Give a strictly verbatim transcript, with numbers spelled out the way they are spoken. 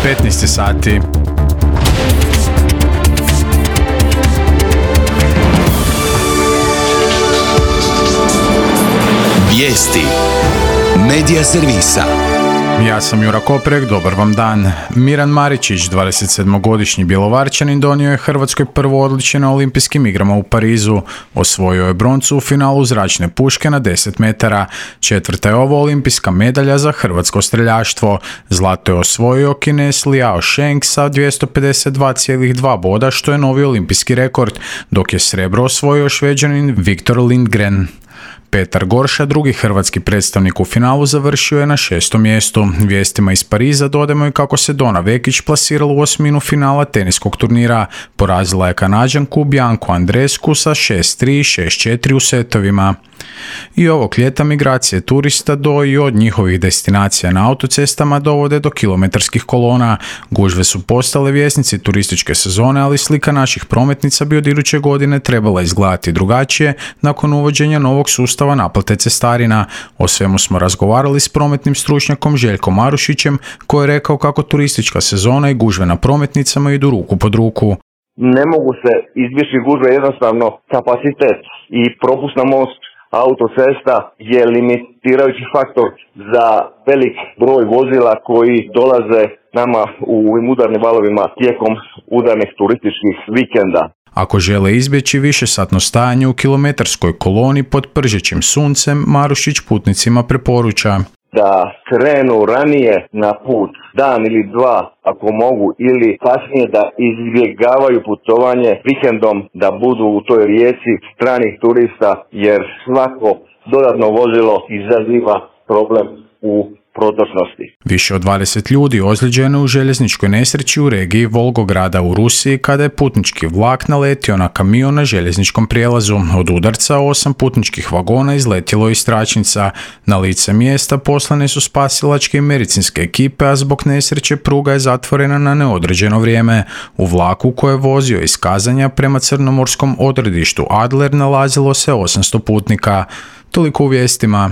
petnaest sati. Vijesti Medija servisa. Ja sam Jura Koprek, dobar vam dan. Miran Maričić, dvadesetsedmogodišnji Bjelovarčanin, donio je Hrvatskoj prvo odličje na olimpijskim igrama u Parizu. Osvojio je broncu u finalu zračne puške na deset metara. Četvrta je ovo olimpijska medalja za hrvatsko streljaštvo. Zlato je osvojio Kinez Liao Sheng sa dvjesto pedeset dva zarez dva boda, što je novi olimpijski rekord, dok je srebro osvojio Šveđanin Viktor Lindgren. Petar Gorša, drugi hrvatski predstavnik u finalu, završio je na šestom mjestu. Vijestima iz Pariza dodajemo i kako se Dona Vekić plasirala u osminu finala teniskog turnira. Porazila je Kanađanku Biancu Andreescu sa šest tri i šest četiri u setovima. I ovog ljeta migracije turista do i od njihovih destinacija na autocestama dovode do kilometarskih kolona. Gužve su postale vjesnici turističke sezone, ali slika naših prometnica bi od iduće godine trebala izgledati drugačije nakon uvođenja novog sustava naplate cestarina. O svemu smo razgovarali s prometnim stručnjakom Željkom Marušićem, koji je rekao kako turistička sezona i gužve na prometnicama idu ruku pod ruku. Ne mogu se izbjeći gužve, jednostavno kapacitet i propust na most autocesta je limitirajući faktor za velik broj vozila koji dolaze nama u ovim udarnim valovima tijekom udarnih turističkih vikenda. Ako žele izbjeći višesatno stajanje u kilometarskoj koloni pod pržećim suncem, Marušić putnicima preporuča da krenu ranije na put, dan ili dva ako mogu, ili kasnije da izbjegavaju putovanje vikendom, da budu u toj rijeci stranih turista, jer svako dodatno vozilo izaziva problem u protočnosti. Više od dvadeset ljudi ozlijeđeno u željezničkoj nesreći u regiji Volgograda u Rusiji kada je putnički vlak naletio na kamion na željezničkom prijelazu. Od udarca osam putničkih vagona izletjelo iz tračnica. Na lice mjesta poslane su spasilačke i medicinske ekipe, a zbog nesreće pruga je zatvorena na neodređeno vrijeme. U vlaku koji je vozio iz Kazanja prema crnomorskom odredištu Adler nalazilo se osamsto putnika. Toliko u vijestima.